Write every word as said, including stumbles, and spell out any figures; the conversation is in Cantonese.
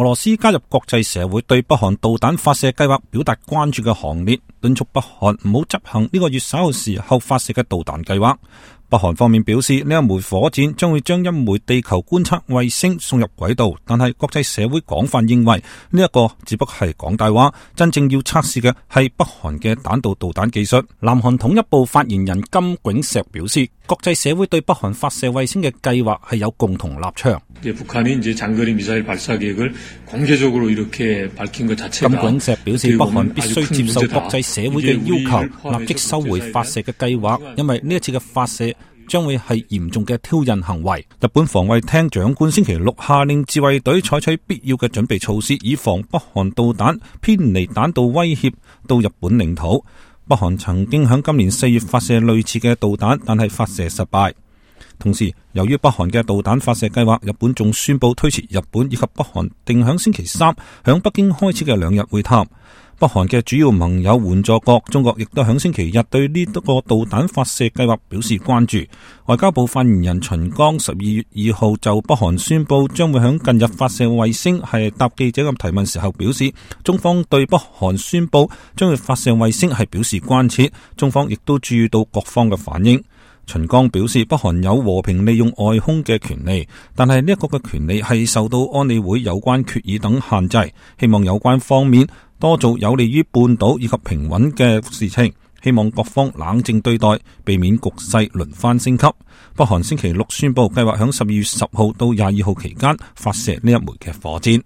俄羅斯加入國際社會對北韓導彈發射計劃表達關注嘅行列，敦促北韓唔好執行呢個月稍後時候發射嘅導彈計劃。北韓方面表示，呢一枚火箭將會將一枚地球觀測衛星送入軌道，但係國際社會廣泛認為呢一個只不過係講大話，真正要測試嘅係北韓嘅彈道導彈技術。南韓統一部發言人金炳石表示，國際社會對北韓發射衛星嘅計劃係有共同立場。金炳石表示，北韓必須接受國際社會嘅要求，立即收回發射嘅計劃，因為呢一次嘅發射將會係嚴重嘅挑釁行為。日本防衛廳長官星期六下令自衛隊採取必要嘅準備措施，以防北韓導彈偏離彈道威脅到日本領土。北韓曾經喺今年四月發射類似嘅導彈，但係發射失敗。同時，由於北韓嘅導彈發射計劃，日本仲宣布推遲日本以及北韓定響星期三響北京開始嘅兩日會談。北韓嘅主要盟友援助國中國亦都響星期日對呢個導彈發射計劃表示關注。外交部發言人秦剛十二月二號就北韓宣布將會響近日發射衛星係答記者嘅提問時候表示，中方對北韓宣布將會發射衛星係表示關切，中方亦都注意到各方嘅反應。秦剛表示，北韓有和平利用外空嘅權利，但係呢一個嘅權利係受到安理會有關決議等限制，希望有關方面多做有利於半島以及平穩嘅事情，希望各方冷靜對待，避免局勢輪番升級。北韓星期六宣布計劃響十二月十號到廿二號期間發射呢一枚嘅火箭。